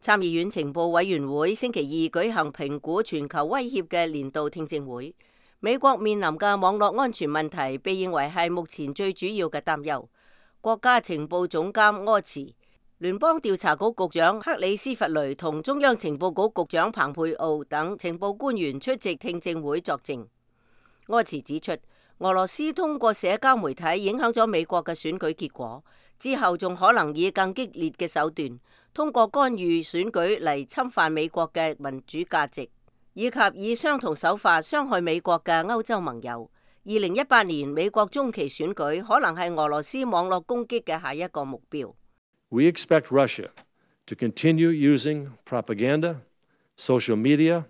參議院情報委員會星期二舉行評估全球威脅嘅年度聽證會。美國面臨嘅網絡安全問題被認為係目前最主要嘅擔憂。國家情報總監柯茨、聯邦調查局局長克里斯弗雷同中央情報局局長彭佩奧等情報官員出席聽證會作證。柯茨指出，俄羅斯通過社交媒體影響咗美國嘅選舉結果，之後仲可能以更激烈嘅手段，通過干預選舉嚟侵犯美國嘅民主價值，以及以相同手法傷害美國嘅歐洲盟友。2018年美國中期選舉可能係俄羅斯網絡攻擊嘅下一個目標。We expect Russia to continue using propaganda, social media,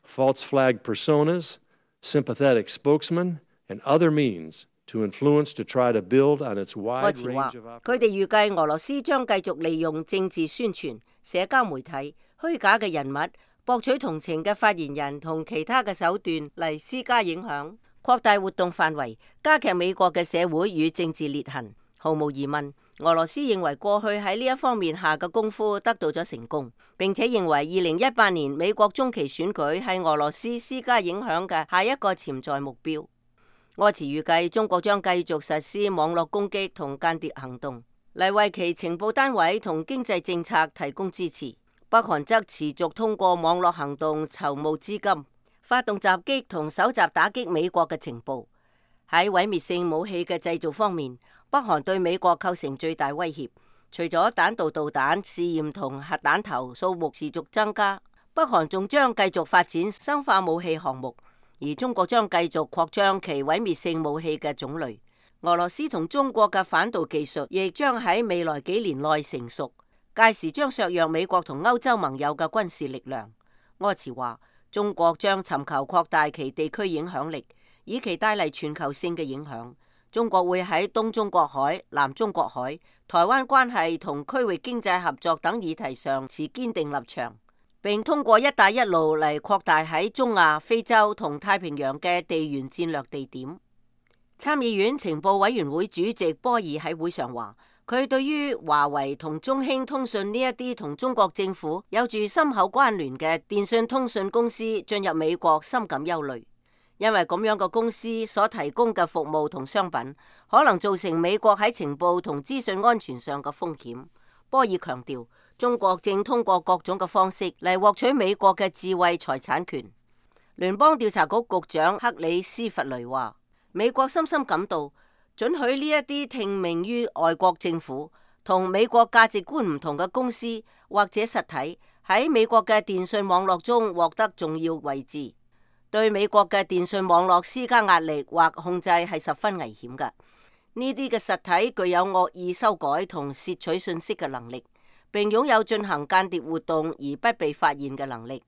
false flag personas, sympathetic spokesmen, and other means to influence to try to build on its wide range of operations. 佢哋預計俄羅斯將繼續利用政治宣傳、社交媒體、虛假嘅人物、博取同情嘅發言人同其他嘅手段嚟施加影響，擴大活動範圍，加劇美國嘅社會與政治裂痕。毫無疑問，俄羅斯認為過去喺呢一方面下嘅功夫得到咗成功，並且認為2018年美國中期選舉係俄羅斯施加影響嘅下一個潛在目標。柯茨預計中國將繼續實施網絡攻擊同間諜行動，嚟為其情報單位同經濟政策提供支持。北韓則持續通過網絡行動籌募資金，發動襲擊同搜集打擊美國嘅情報。喺毀滅性武器嘅製造方面，北韓對美國構成最大威脅。除咗彈道導彈試驗同核彈頭數目持續增加，北韓仲將繼續發展生化武器項目。而中國將繼續擴張其毀滅性武器嘅種類，俄羅斯同中國嘅反導技術亦將喺未來幾年內成熟，屆時將削弱美國同歐洲盟友嘅軍事力量。柯茨話，中國將尋求擴大其地區影響力，以期帶嚟全球性嘅影響。中國會喺東中國海、南中國海、台灣關係同區域經濟合作等議題上持堅定立場，並通過一帶一路嚟擴大喺中亞、非洲同太平洋嘅地緣戰略地點。參議院情報委員會主席波爾喺會上話，佢對於華為同中興通訊呢一啲同中國政府有住深厚關聯嘅電信通訊公司進入美國深感憂慮，因為咁樣嘅公司所提供嘅服務同商品可能造成美國喺情報同資訊安全上嘅風險。波爾強調，中國正通過各種嘅方式嚟獲取美國嘅智慧財產權。聯邦調查局局長克里斯弗雷話，美國深深感到准許呢一啲聽命於外國政府同美國價值觀唔同嘅公司或者實體喺美國嘅電信網絡中獲得重要位置，對美國嘅電信網絡施加壓力或控制係十分危險嘅。呢啲嘅實體具有惡意修改同竊取信息嘅能力，並擁有進行間諜活動而不被發現嘅能力。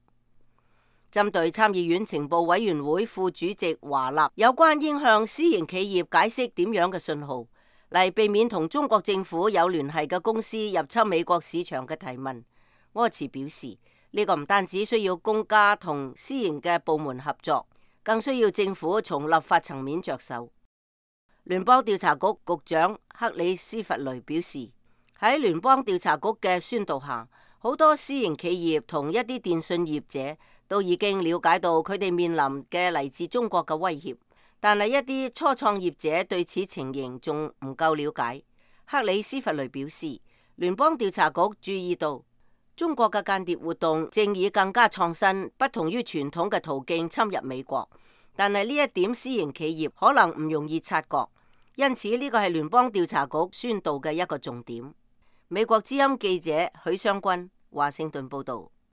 針對參議院情報委員會副主席華納有關應向私營企業解釋點樣嘅信號，嚟避免同中國政府有聯繫嘅公司入侵美國市場嘅提問，柯茨表示，呢個唔單止需要公家同私營嘅部門合作，更需要政府從立法層面着手。聯邦調查局局長克里斯弗雷表示，喺聯邦調查局嘅宣導下，好多私營企業同一啲電信業者都已經了解到佢哋面臨嘅嚟自中國嘅威脅，但係一啲初創業者對此情形仲唔夠了解。克里斯弗雷表示，聯邦調查局注意到中國嘅間諜活動正以更加創新、不同於傳統嘅途徑侵入美國，但係呢一點私營企業可能唔容易察覺，因此呢個係聯邦調查局宣導嘅一個重點。美國之音記者許湘君華盛頓報道。